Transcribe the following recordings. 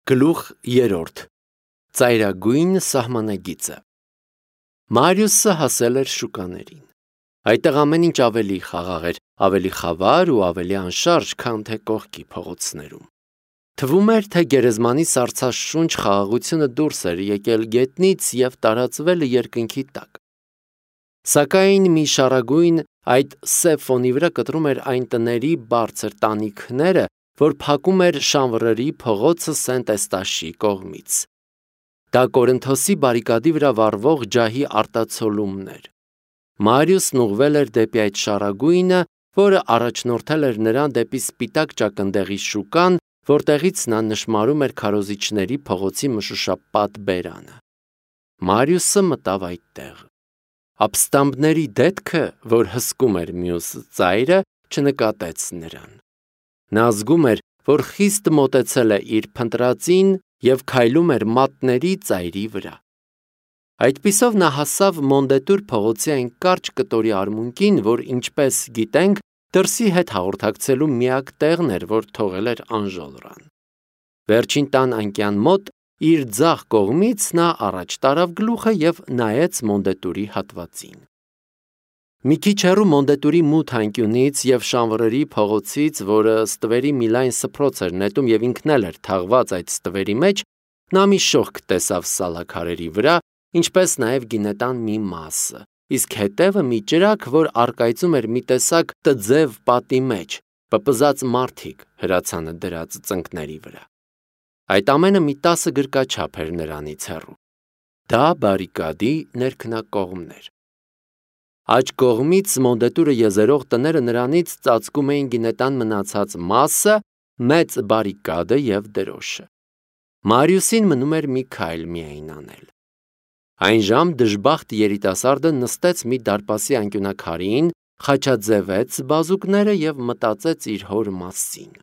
Գլուխ 3 Ծայրագույն սահմանագիծը Մարիուսը հասել էր շուկաներին։ Այդտեղ ամեն ինչ ավելի խաղաղ էր, ավելի խավար ու ավելի անշարժ, քան թե կողքի փողոցներում։ Թվում էր, թե գերեզմանի սառցաշունչ խաղաղությունը դուրս էր եկել գետնից և տարածվել երկնքի տակ։ Սակայն մի շառագույն այդ սև ֆոնի վրա կտրում էր այն տների բարձր տանիքները, որ փակում էր Շանվռերի փողոցը Սենտ-Էստաշի կողմից։ Դա Կորինթոսի բարիկադի վրա վառվող ջահի արտացոլումն էր։ Մարիուսն ուղղվել էր դեպի այդ շառագույնը, որը առաջնորդել էր նրան դեպի սպիտակ ճակնդեղի շուկան, որտեղից նա նշմարում էր քարոզիչների փողոցի մշուշապատ բերանը։ Մարիուսը մտավ այդտեղ։ Ապստամբների դետքը, որ հսկում էր մյուս ծայրը, չնկատեց նրան։ Նա զգում էր, որ խիստ մոտեցել է իր փնտրածին և քայլում էր մատների ծայրի վրա։ Այդպիսով նա հասավ Մոնդետուր փողոցի այն կարճ կտորի արմունկին, որ, ինչպես գիտենք, դրսի հետ հաղորդակցելու միակ տեղն էր, որ թողել էր Անժոլրան։ Վերջին տան անկյան մոտ, իր ձախ կողմից նա առաջ տարավ գլուխը և նայեց Մոնդետուրի հատվածին։ Մի քիչ հեռու Մոնդետուրի մութ անկյունից և Շանվռերի փողոցից, որը ստվերի մի լայն սփռոց էր նետում և ինքն էլ էր թաղված այդ ստվերի մեջ, նա մի շողք տեսավ սալաքարերի վրա, ինչպես նաև գինետան մի մասը, իսկ հետևը մի ճրագ, որ առկայծում էր մի տեսակ տձև պատի մեջ, պպզած մարդիկ հրացանը դրած ծնկների վրա։ Այդ ամենը մի 10 գրկաչափ էր նրանից հեռու։ Դա բարիկադի ներքնակողմն էր։ Աջ կողմից Մոնդետուրը եզերող տները նրանից ծածկում էին գինետան մնացած մասը, մեծ բարիկադը և դրոշը։ Մարիուսին մնում էր մի քայլ միայն անել։ Այն ժամ դժբախտ երիտասարդը նստեց մի դարպասի անկյունաքարին, խաչաձևեց բազուկները և մտածեց իր հոր մասին։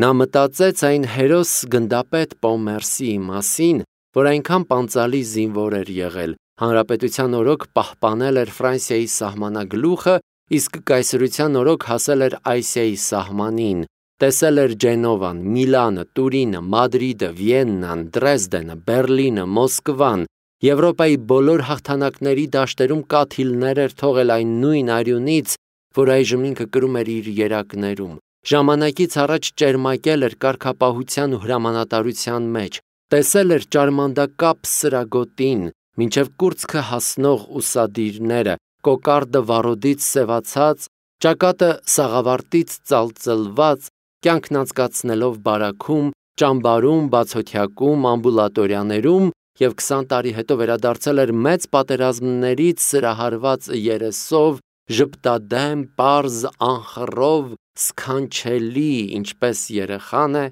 Նա մտածեց այն հերոս գնդապետ Պոմերսիի մասին, որ այնքան պանծալի զինվոր էր եղել, հանրապետության օրոք պահպանել էր Ֆրանսիայի սահմանագլուխը, իսկ կայսրության օրոք հասել էր Ասիայի սահմանին, տեսել էր Ջենովան, Միլանը, Տուրինը, Մադրիդը, Վիեննան, Դրեզդենը, Բերլինը, Մոսկվան, Եվրոպայի բոլոր հաղթանակների դաշտերում կաթիլներ էր թողել այն նույն արյունից, որ այժմ ինքը կրում էր իր երակներում, ժամանակից առաջ ճերմակել էր կարգապահության ու հրամանատարության մեջ, տեսել էր ճարմանդակապ սրագոտին, մինչև կուրծքը հասնող ուսադիրները, կոկարդը վառոդից սևացած, ճակատը սաղավարտից ծալծլված, կյանքն անցկացնելով բարաքում, ճամբարում, բացօթյակում, ամբուլատորիաներում և 20 տարի հետո վերադարձել էր մեծ պատերազմներից սրահարված երեսով, ժպտադեմ, պարզ, անխռով, սքանչելի, ինչպես երեխան է,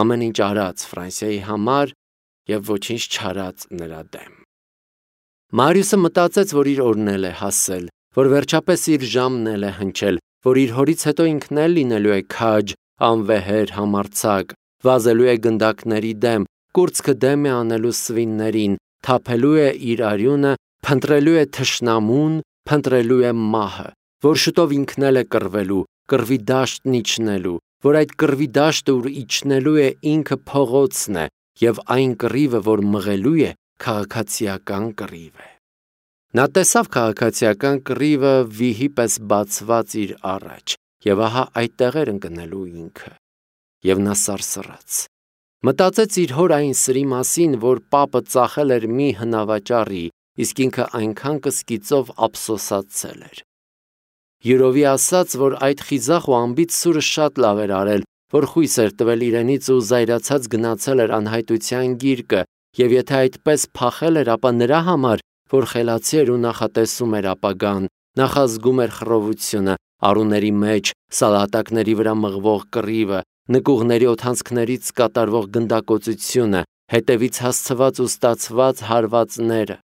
ամեն ինչ արած Ֆրանսիայի համար և ոչինչ չարած նրա դեմ։ Մարիուսը մտածեց, որ իր օրն էլ է հասել, որ վերջապես իր ժամն էլ է հնչել, որ իր հորից հետո ինքն էլ լինելու է քաջ, անվեհեր, համարձակ, վազելու է գնդակների դեմ, կուրծքը դեմ է անելու սվիններին, թափելու է իր արյունը, փնտրելու է թշնամուն, փնտրելու է մահը, որ շուտով ինքն էլ է կռվելու, կռվի դաշտն իջնելու, որ այդ կռվի դաշտը, ուր իջնելու է ինքը փողոցն է, և այն կռիվը, որ մղելու է, քաղաքացիական կռիվ է։ Նա տեսավ քաղաքացիական կռիվը վիհի պես բացված իր առաջ, և ահա այդտեղ էր ընկնելու ինքը։ Եվ նա սարսռաց։ Մտածեց իր հոր այն սրի մասին, որ պապը ծախել էր մի հնավաճառի, իսկ ինքը այնքան կսկիծով ափսոսացել էր։ Յուրովի ասաց, որ այդ խիզախ ու անբիծ սուրը շատ լավ էր արել, որ խույս էր տվել իրենից ու զայրացած գնացել էր անհայտության գիրկը, և եթե այդպես փախել էր, ապա նրա համար, որ խելացի էր ու նախատեսում էր ապագան, նախազգում էր խռովությունը, առուների մեջ, սալատակների վրա մղվող կռիվը, նկուղների օդանցքներից կատարվող գնդակոծությունը, հետևից հասցված ու ստացված հարվածները,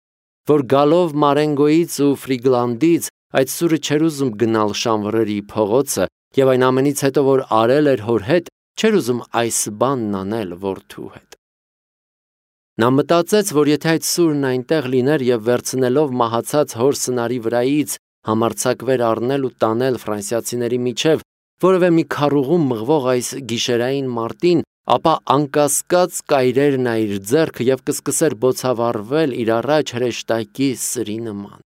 որ գալով Մարենգոյից ու Ֆրիգլանդից այդ սուրը չէր ուզում գնալ Շանվռերի փողոցը և այն ամենից հետո, որ արել էր հոր հետ, չէր ուզում այս բանն անել որդու հետ։ Նա մտածեց, որ եթե այդ սուրն այնտեղ լիներ և վերցնելով մահացած հոր սնարի վրայից համարձակվեր առնել ու տանել ֆրանսիացիների միջև, որևէ մի քառուղու մղվող այս գիշերային մարտին, ապա անկասկած կայրեր նա իր ձեռքը և կսկսեր բոցավառվել իր առաջ հրեշտակի սրի նման։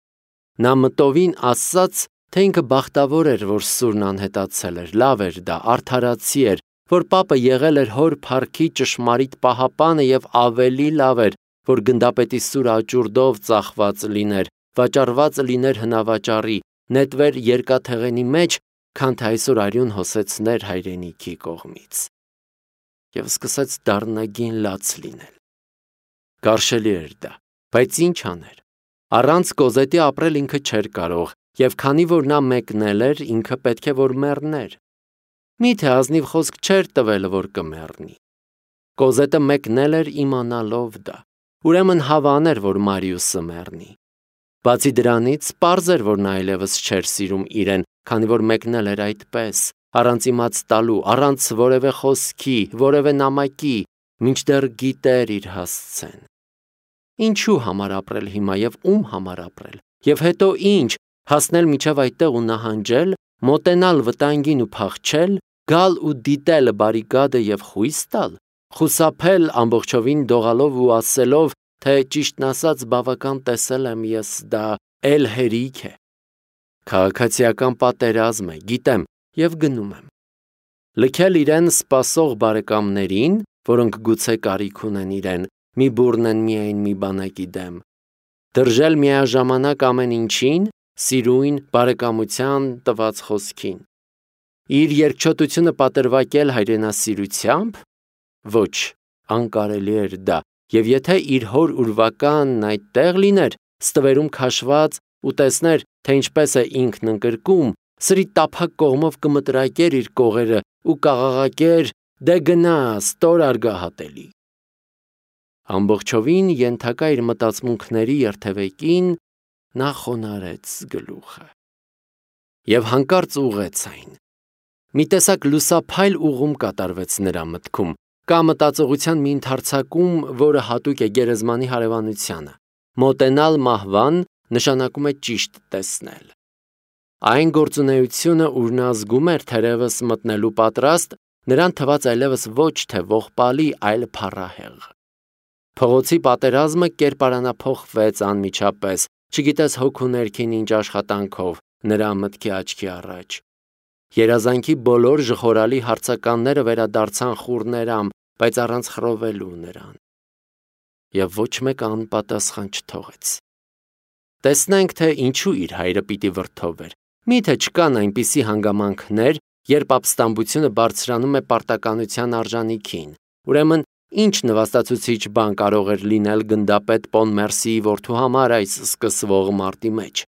Նա մտովին ասաց, թե ինքը բախտավոր էր, որ սուրն անհետացել էր, լավ էր դա, արդարացի էր, որ պապը եղել էր հոր փառքի ճշմարիտ պահապանը և ավելի լավ էր, որ գնդապետի սուրը աճուրդով ծախված լիներ, վաճառված լիներ հնավաճառի, նետվեր երկաթեղենի մեջ, քան թե այսօր արյուն հոսեցներ հայրենիքի կողմից։ Եվ սկսեց դառնագին լաց լինել։ Գարշելի էր դա, բայց ինչ աներ։ Առանց Կոզետի ապրել ինքը չէր կարող, և քանի որ նա մեկնել էր, ինքը պետք է որ մեռներ։ Միթե ազնիվ խոսք չէր տվել, որ կմեռնի։ Կոզետը մեկնել էր իմանալով դա, ուրեմն հավան էր, որ Մարիուսը մեռնի։ Բացի դրանից, պարզ էր, որ նա այլևս չէր սիրում իրեն, քանի որ մեկնել էր այդպես, առանց իմաց տալու, առանց որևէ խոսքի, որևէ նամակի, մինչդեռ գիտեր իր հասցեն։ Ինչու համար ապրել հիմա և ում համար ապրել, և հետո ինչ, հասնել մինչև այդտեղ ու նահանջել, մոտենալ վտանգին ու փախչել, գալ ու դիտել բարիկադը և խույս տալ, խուսափել ամբողջովին դողալով ու ասելով, թե ճիշտն ասած բավական տեսել եմ ես դա էլ հերիք է։ Քաղաքացիական պատերազմ է, գիտեմ, և գնում եմ։ Լքել իրեն սպասող բարեկամներին, որոնք գուցե կարիք ունեն իրեն, մի բուռնեն միայն մի բանակի դեմ։ Դրժել միաժամանակ ամեն ինչին, սիրույն, բարեկամության տված խոսքին։ Իր երկչոտությունը պատրվակել հայրենասիրությամբ։ Ոչ, անկարելի էր դա, և եթե իր հոր ուրվականն այդտեղ լիներ, ստվերում քաշված ու տեսներ, թե ինչպես է ինքն ընկրկում, սրի տափակ կողմով կմտրակեր իր կողերը ու կաղաղակեր. «Դե գնա, ստոր արգահատելի»։ Ամբողջովին ենթակա իր մտածմունքների երթևեկին նա խոնարհեց գլուխը և հանկարծ ուղղեց այն։ Մի տեսակ լուսափայլ ուղում կատարվեց նրա մտքում, կա մտածողության մի ընդարձակում, որը հատուկ է գերեզմանի հարևանությանը։ Մոտենալ մահվան նշանակում է ճիշտ տեսնել։ Այն գործունեությունը, ուր նա զգում էր թերևս մտնելու պատրաստ, նրան թվաց այլևս ոչ թե ողբալի, այլ փառահեղ։ Փողոցի պատերազմը կերպարանափոխվեց անմիջապես, չգիտես հոգու ներքին ինչ աշխատանքով, նրա մտքի աչքի առաջ։ Երազանքի բոլոր ժխորալի հարցականները վերադարձան խուռներամ, բայց առանց խռովելու նրան։ Եվ ոչ մեկը անպատասխան չթողեց։ Տեսնենք, թե ինչու իր հայրը պիտի վրդովվեր։ Միթե չկան այնպիսի հանգամանքներ, երբ ապստամբությունը բարձրանում է պարտականության արժանիքին։ Ուրեմն, ինչ նվաստացուցիչ բան կարող էր լինել գնդապետ Պոնմերսիի որդու համար այս սկսվող մարտի մեջ։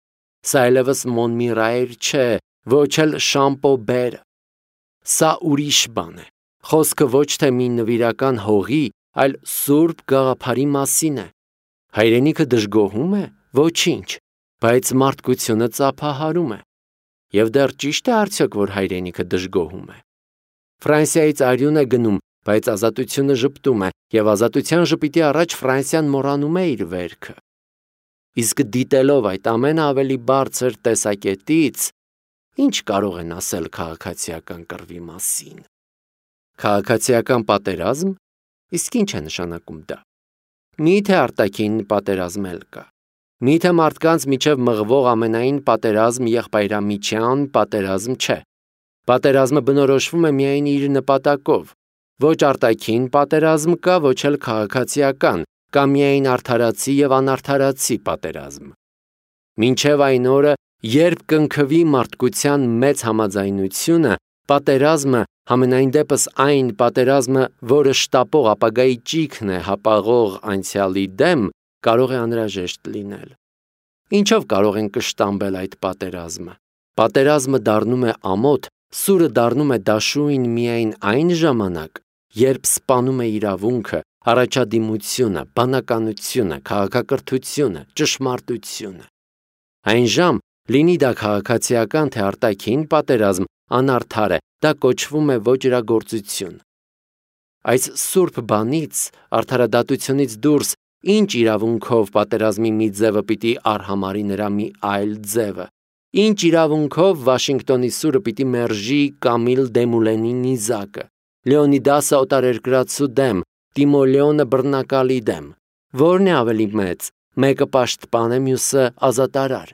Սա այլևս Մոնմիրայր չէ, ոչ էլ Շամպոբերը։ Սա ուրիշ բան է։ Խոսքը ոչ թե մի նվիրական հողի, այլ սուրբ գաղափարի մասին է։ Հայրենիքը դժգոհում է, ոչինչ, բայց մարդկությունը ծափահարում է։ Եվ դեռ ճիշտ է արդյոք, որ հայրենիքը դժգոհում է։ Ֆրանսիայից արյուն է գնում, բայց ազատությունը ժպտում է, և ազատության ժպիտի առաջ Ֆրանսիան մոռանում է իր վերքը։ Իսկ դիտելով այդ ամենը ավելի բարձր տեսակետից, ինչ կարող են ասել քաղաքացիական կռվի մասին։ Քաղաքացիական պատերազմ, իսկ ինչ է նշանակում դա։ Միթե արտաքին պատերազմ էլ կա։ Միթե մարդկանց միջև մղվող ամենայն պատերազմ եղբայրամիջյան պատերազմ չէ։ Պատերազմը բնորոշվում է միայն իր նպատակով։ Ոչ արտաքին պատերազմ կա, ոչ էլ քաղաքացիական, կա միայն արդարացի և անարդարացի պատերազմ։ Մինչև այն օրը, երբ կընկվի մարդկության մեծ համաձայնությունը, պատերազմը, համենայն դեպս այն պատերազմը, որը շտապող ապագայի ճիգն է հապաղող անցյալի դեմ, կարող է անհրաժեշտ լինել։ Ինչով կարող են կշտամբել այդ պատերազմը։ Պատերազմը դառնում է ամոթ, սուրը դառնում է դաշույն միայն այն ժամանակ, երբ սպանում է իրավունքը, առաջադիմությունը, բանականությունը, քաղաքակրթությունը, ճշմարտությունը։ Այն ժամ, լինի դա քաղաքացիական թե արտաքին պատերազմ, անարդար է, դա կոչվում է ոճրագործություն։ Այս սուրբ բանից, արդարադատությունից դուրս, ինչ իրավունքով պատերազմի մի ձևը պիտի արհամարի նրա մի այլ ձևը, ինչ իրավունքով Վաշինգտոնի սուրը պիտի մերժի Կամիլ Դեմուլենի նիզակը, Լեոնիդասը օտարերկրացու դեմ, Տիմոլեոնը բռնակալի դեմ։ Որն է ավելի մեծ, մեկը պաշտպան է, մյուսը ազատարար։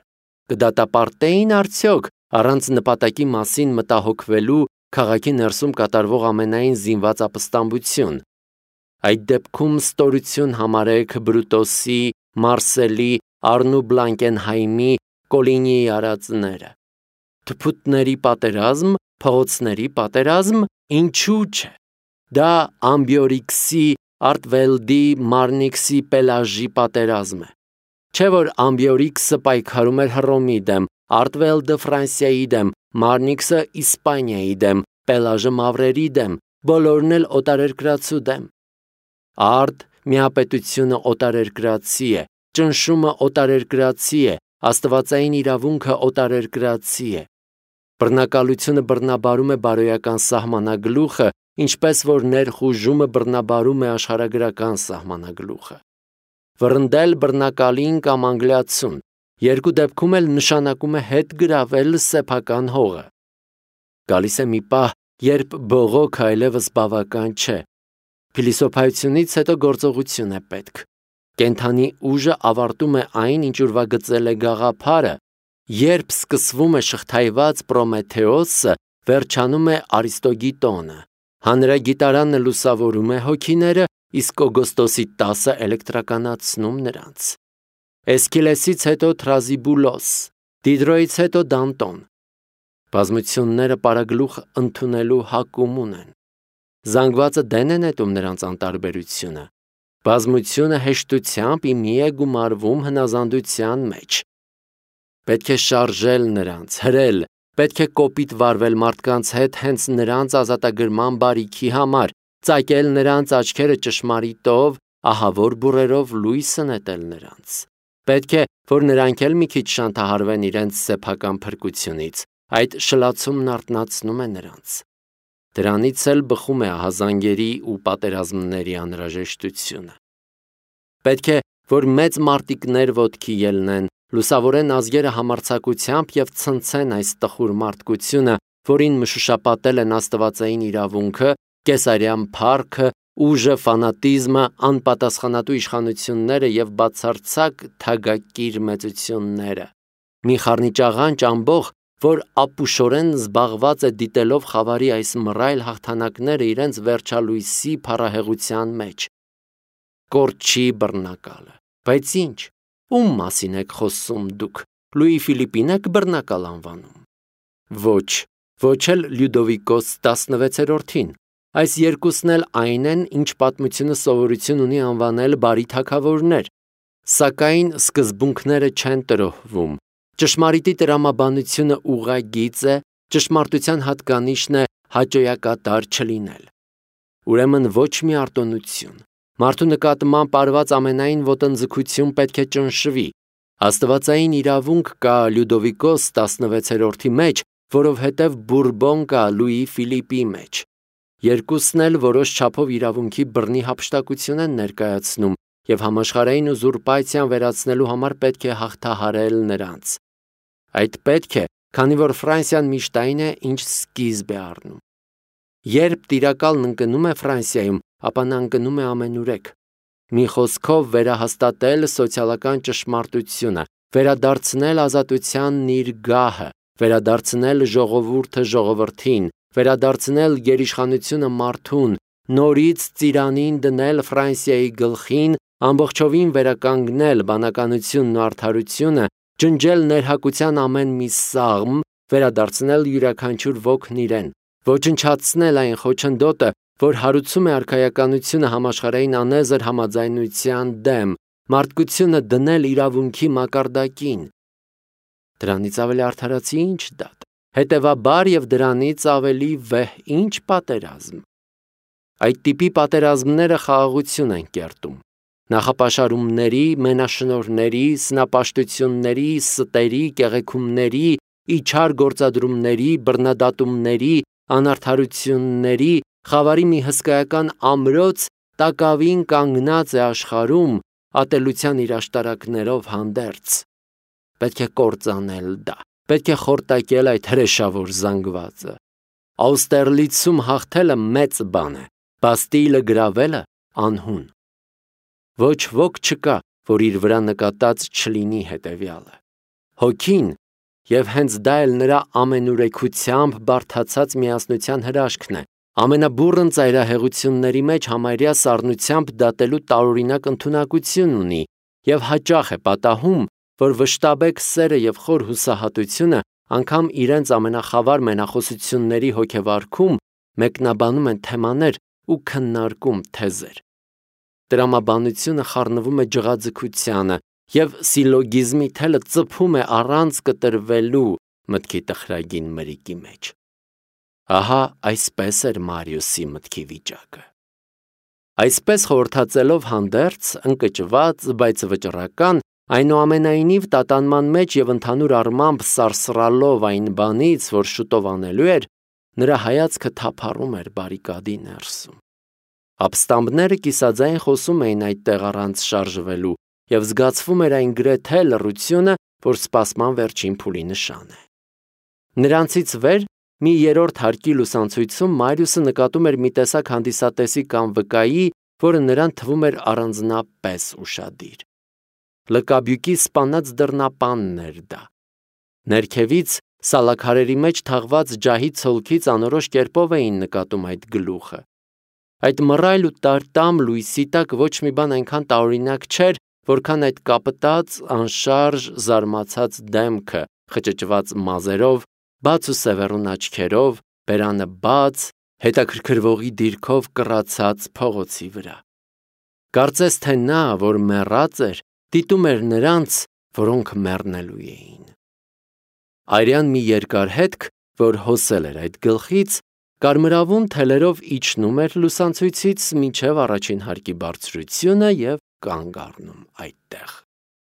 Կդատապարտեին արդյոք առանց նպատակի մասին մտահոգվելու քաղաքի ներսում կատարվող ամենայն զինված ապստամբություն։ Այդ դեպքում ստորություն համարեք Բրուտոսի, Մարսելի, Արնու Բլանկենհայմի, Կոլինիի արածները։ Թփուտների պատերազմ, փողոցների պատերազմ, ինչու՞ չէ։ Դա Ամբիորիքսի, Արտվելդի, Մարնիքսի, Պելաժի պատերազմ է։ Չէ՞ որ Ամբիորիքսը պայքարում էր Հռոմի դեմ, Արտվելդը Ֆրանսիայի դեմ, Մարնիքսը Իսպանիայի դեմ, Պելաժը մավրերի դեմ, բոլորն էլ օտարերկրացու դեմ։ Արդ միապետությունը օտարերկրացի է, ճնշումը օտարերկրացի է, աստվածային իրավունքը օտարերկրացի է։ Բռնակալությունը բռնաբարում է բարոյական սահմանագլուխը, ինչպես որ ներխուժումը բռնաբարում է աշխարհագրական սահմանագլուխը։ Վռնդել բռնակալին կամ անգլիացուն, երկու դեպքում էլ նշանակում է հետ գրավել սեփական հողը։ Գալիս է մի պահ, երբ բողոքը այլևս բավական չէ։ Փիլիսոփայությունից հետո գործողություն է պետք։ Կենթանի ուժը ավարտում է այն, ինչ ուրվագծել է գաղափարը, երբ սկսվում է շղթայված Պրոմեթեոսը, վերջանում է Արիստոգիտոնը։ Հանրագիտարանը լուսավորում է հոգիները, իսկ Օգոստոսի 10-ը էլեկտրականացնում նրանց։ Էսքիլեսից հետո Թրազիբուլոս, Դիդրոյից հետո Դանտոն։ Բազմությունները պարագլուխ ընդունելու հակում ունեն։ Զանգվածը դեն է նետում նրանց անտարբերությունը։ Բազմությունը հեշտությամբ իմի է գումարվում հնազանդության մեջ։ Պետք է շարժել նրանց, հրել, պետք է կոպիտ վարվել մարդկանց հետ հենց նրանց ազատագրման բարիքի համար, ծակել նրանց աչքերը ճշմարիտով, ահավոր բուրերով լույսը նետել նրանց։ Պետք է, որ նրանք էլ մի քիչ շանթահարվեն իրենց սեփական փրկությունից, այդ շլացումն արթնացնում է նրանց։ Դրանից էլ բխում է ահազանգերի ու պատերազմների անհրաժեշտությունը։ Պետք է, որ մեծ մարտիկներ ոտքի ելնեն, լուսավորեն ազգերը համարձակությամբ և ցնցեն այս տխուր մարդկությունը, որին մշուշապատել են աստվածային իրավունքը, կեսարյան փառքը, ուժը, ֆանատիզմը, անպատասխանատու իշխանությունները և բացարձակ թագակիր մեծությունները։ Մի խառնիճաղանճ ամբոխ, որ ապուշորեն զբաղված է դիտելով խավարի այս մռայլ հաղթանակները իրենց վերջալույսի փառահեղության մեջ։ Կորչի բռնակալը։ Բայց ինչ, ում մասին եք խոսում դուք, Լուի Ֆիլիպին եք բռնակալ անվանում։ Ոչ, ոչ էլ Լյուդովիկոս 16-րդին։ Այս երկուսն էլ այն են, ինչ պատմությունը սովորություն ունի անվանել բարի թագավորներ, սակայն սկզբունքները չեն տրոհվում։ Ճշմարիտի տրամաբանությունը ուղղագիծ է, ճշմարտության հատկանիշն է հաճոյակատար չլինել։ Ուրեմն ոչ մի արտոնություն։ Մարդու նկատմամբ արված ամենայն ոտնձգություն պետք է ճնշվի։ Աստվածային իրավունք կա Լյուդովիկոս 16-րդի մեջ, որովհետև Բուրբոն կա Լուի Ֆիլիպի մեջ։ Երկուսն էլ որոշ չափով իրավունքի բռնի հափշտակություն են ներկայացնում և համաշխարհային ուզուրպացիան վերացնելու համար պետք է հաղթահարել նրանց։ Այդ պետք է, քանի որ Ֆրանսիան միշտ այն է, ինչ սկիզբ է առնում։ Երբ տիրակալն ընկնում է Ֆրանսիայում, ապա նա ընկնում է ամենուրեք։ Մի խոսքով վերահաստատել սոցիալական ճշմարտությունը, վերադարձնել ազատությանն իր գահը, վերադարձնել ժողովուրդը ժողովրդին, վերադարձնել գերիշխանությունը մարդուն, նորից ծիրանին դնել Ֆրանսիայի գլխին, ամբողջովին վերականգնել բանականությունն ու արդարությունը, ջնջել ներհակության ամեն մի սաղմ, վերադարձնել յուրաքանչյուր ոգն իրեն, ոչնչացնել այն խոչընդոտը, որ հարուցում է արքայականությունը համաշխարհային անեզր համաձայնության դեմ, մարդկությունը դնել իրավունքի մակարդակին։ Դրանից ավելի արդարացի ինչ դատ, հետևաբար և դրանից ավելի վեհ ինչ պատերազմ։ Այդ տիպի պատերազմները խաղաղություն են կերտում։ Նախապաշարումների, մենաշնորհների, սնապաշտությունների, ստերի, կեղեքումների, իչար գործադրումների, բռնադատումների, անարդարությունների, խավարի մի հսկայական ամրոց տակավին կանգնած է աշխարհում ատելության իր աշտարակներով հանդերձ։ Պետք է կործանել դա, պետք է խորտակել այդ հրեշավոր զանգվածը։ Աուստերլիցում հաղթելը մեծ բան է, Բաստիլը գրավելը անհուն։ Ոչ ոք չկա, որ իր վրա նկատած չլինի հետևյալը։ Հոգին, եւ հենց դա էլ նրա ամենուրեքությամբ բարդացած միասնության հրաշքն է, ամենաբուռն ծայրահեղությունների մեջ համարյա սառնությամբ դատելու տարօրինակ ընդունակություն ունի եւ հաճախ է պատահում, որ վշտաբեկ սերը եւ խոր հուսահատությունը անգամ իրենց ամենախավար մենախոսությունների հոգեվարքում մեկնաբանում են թեմաներ ու քննարկում թեզեր։ Տրամաբանությունը խառնվում է ջղաձգությանը եւ սիլոգիզմի թելը ծփում է առանց կտրվելու մտքի տխրագին մրիկի մեջ։ Ահա այսպես էր Մարիուսի մտքի վիճակը։ Այսպես խորհրդածելով հանդերձ, ընկճված, բայց վճռական, այնուամենայնիվ տատանման մեջ եւ ընդհանուր առմամբ սարսռալով այն բանից, որ շուտով անելու էր, նրա հայացքը թափառում էր բարիկադի ներսում։ Ապստամբները կիսաձայն խոսում էին այդտեղ առանց շարժվելու եւ զգացվում էր այն գրեթե լռությունը, որ սպասման վերջին փուլի նշան է։ Նրանցից վեր մի երրորդ հարկի լուսանցույցում Մարիուսը նկատում էր մի տեսակ հանդիսատեսի կամ վկայի, որը նրան թվում էր առանձնապես ուշադիր։ Լկաբյուկի սպանած դռնապանն էր դա։ Ներքևից սալաքարերի մեջ թաղված ջահի ցոլքից անորոշ կերպով էին նկատում այդ գլուխը։ Այդ մռայլ ու տարտամ լույսի տակ ոչ մի բան այնքան տարօրինակ չէր, որքան այդ կապտած, անշարժ, զարմացած դեմքը, խճճված մազերով, բաց ու սևեռուն աչքերով, բերանը բաց, հետաքրքրվողի դիրքով կռացած փողոցի վրա։ Կարծես թե նա, որ մեռած էր, դիտում էր նրանց, որոնք մեռնելու էին։ Արյան մի երկար հետք, որ հոսել էր այդ գլխից, կարմրավուն թելերով իջնում էր լուսանցույցից մինչև առաջին հարկի բարձրությունը եւ կանգ առնում այդտեղ։